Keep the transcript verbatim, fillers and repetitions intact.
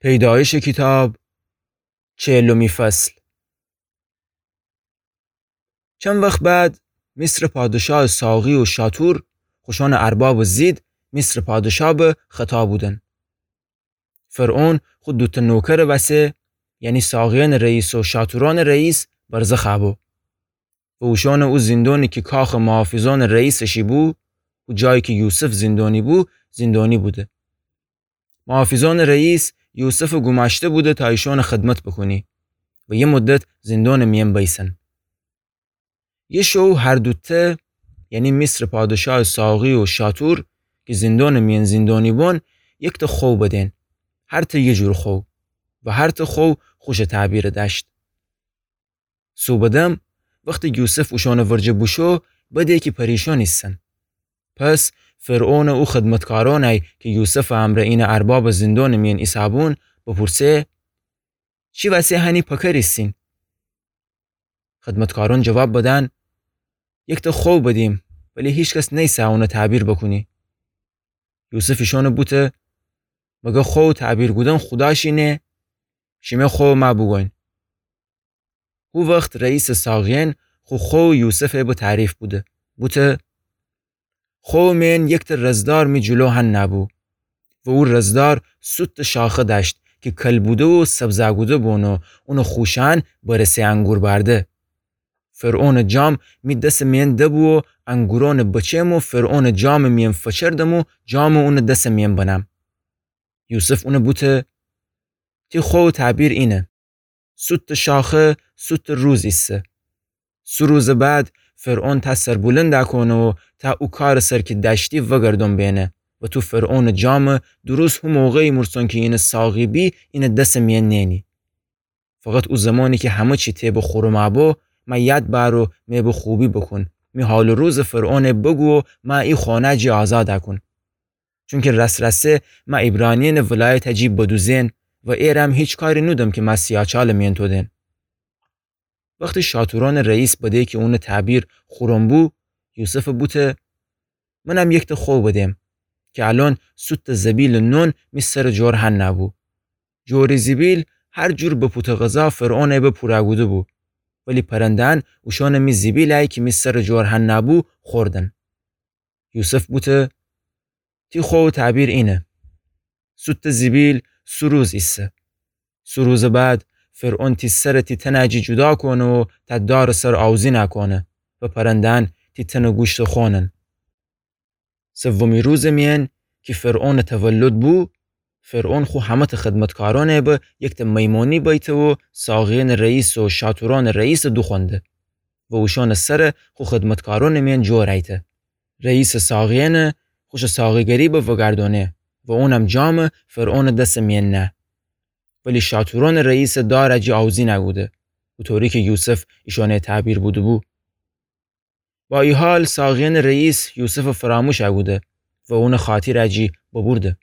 پیدایشٚ کیتاب، چهلمی فصل. چند وخت بعد، مصرٚ پادشاهٚ ساقی و شاطور خوشأنٚ اربابٚ زید مصرٚ پادشاه به خطا بودن. فرعون خو دوتأ نوکرٚ وسه، یعنی ساقیأنٚ رئیس و شاطورأنٚ رئیس، برزخ بو و اوشأنَ او زندونی کی کاخٚ محافظأنٚ رئیسٚ شی بو و جایی کی یوسف زندونی بو، زندونی بوده. محافظأنٚ رئیس یوسفٚ گومأشته بوده تا ایشأنٚ خدمت بوکونی و یه مدت زندونٚ میأن بیسن. یه شو هر دوتأ، یعنی مصرٚ پادشاهٚ ساقی و شاطور کی زندونٚ میأن زندونی بون، یکتأ خو بدین. هرتأ یه جور خو و هرتأ خو خوشٚ تعبیر دأشت. صوبٚ دم، وختی یوسف اوشأنٚ ورجه بوشو، بده کی پریشان ایسن. پس فرعونٚ او خدمتکارأنی کی یوسفٚ امرأ اینٚ اربابٚ زندونٚ میأن ایسه‌بون بپورسه: چی وسه هنی پکر ایسین؟ خدمتکارأن جواب بدن: یکتأ خو بدیم، ولی هیکس نیسه اونٚ تعبیر بوکونی. یوسف ایشأنَ بوته: مگر خو تعبیر کودن خوداشی نه؟ شیمه خو مه بوگوین. هو وخت رئیسٚ ساقیأن خو خو یوسفَ به تعریف بوده. بوته: خوٚ مئن یکتأ رزدار می جلو هنه بو و او رزدار سوتٚ شاخه دأشت کی کل بوده و سبزه کوده بون و اونٚ خوشأن برسه انگور بأرده. فرعونٚ جام می دسٚ مئن دبو و انگورأنٚ بچم و فرعونٚ جامٚ مئن فچردم و جام اونٚ دسٚ مئن بنم. یوسف اونَ بوته: تی خوٚ تعبیر اینه. سوتٚ شاخه سوتٚ روز ایسه. سو روزٚ بعد فرعون تأ سربلند کونه و تأ او کارٚ سر کی دأشتی وگردون بینه و تو فرعونٚ جامٚ دو روز هو موقع ایمورسون کی اینٚ ساقی بی اینٚ دسٚ مئن نئنی. فقط او زمانی کی همه چی ته به خورم بو، مه یاد بأر و مه به خوبی بوکون. می حالٚ روزٚ فرعونَ بوگو و مه ای خانه جی آزاد کون. چونکی راس‌راسه مه عبرانیأنٚ ولایتٚ جی بدوزئن و ایرم هیچ کاری نودم کی مه سیاچالٚ مئن تودئن. وختی شاطورأنٚ رئیس بده کی اونٚ تعبیر خورم بو، یوسفَ بوته: منم یکتأ خوٚ بدم کی الأن سوتٚ زبیلٚ نون می سرٚ جور هنه بو. جورٚ زبیل هر جور بپوتٚ غذا فرعونَ به پورا کوده بو، ولی پرنده‌یأن اوشأنٚ می زبیلَ کی می سرٚ جور هنه بو خوردن. یوسف بوته: تی خوٚ تعبیر اینه. سوتٚ زبیل سو روز ایسه. سو روزٚ بعد فرعون تی سرَ تی تنٚ جی جدا کونه و تأ دارٚ سر آوزین کونه و پرنده‌یأن تی تنٚ گوشتَ خونن. سومی روزٚ مئن کی فرعونٚ تولد بو، فرعون خو همه‌تأ خدمتکارأنَ به یکتأ میمونی بیته و ساقیأنٚ رئیس و شاطورأنٚ رئیسَ دوخوأنده و اوشأنٚ سرَ خو خدمتکارأنٚ مئن جور ایته. رئیسٚ ساقیأنَ خوشٚ ساقی‌گری به وگردأنه و اونم جامَ فرعونٚ دسٚ مئن نه. ولی شاطورأنٚ رئیسٚ دارٚ جی آوزین کوده، اوطوری کی یوسف ایشأنَ تعبیر بوده‌بو. با ای حال ساقیأنٚ رئیس یوسفَ فراموش کوده و اونٚ خاطرٚ جی ببرده.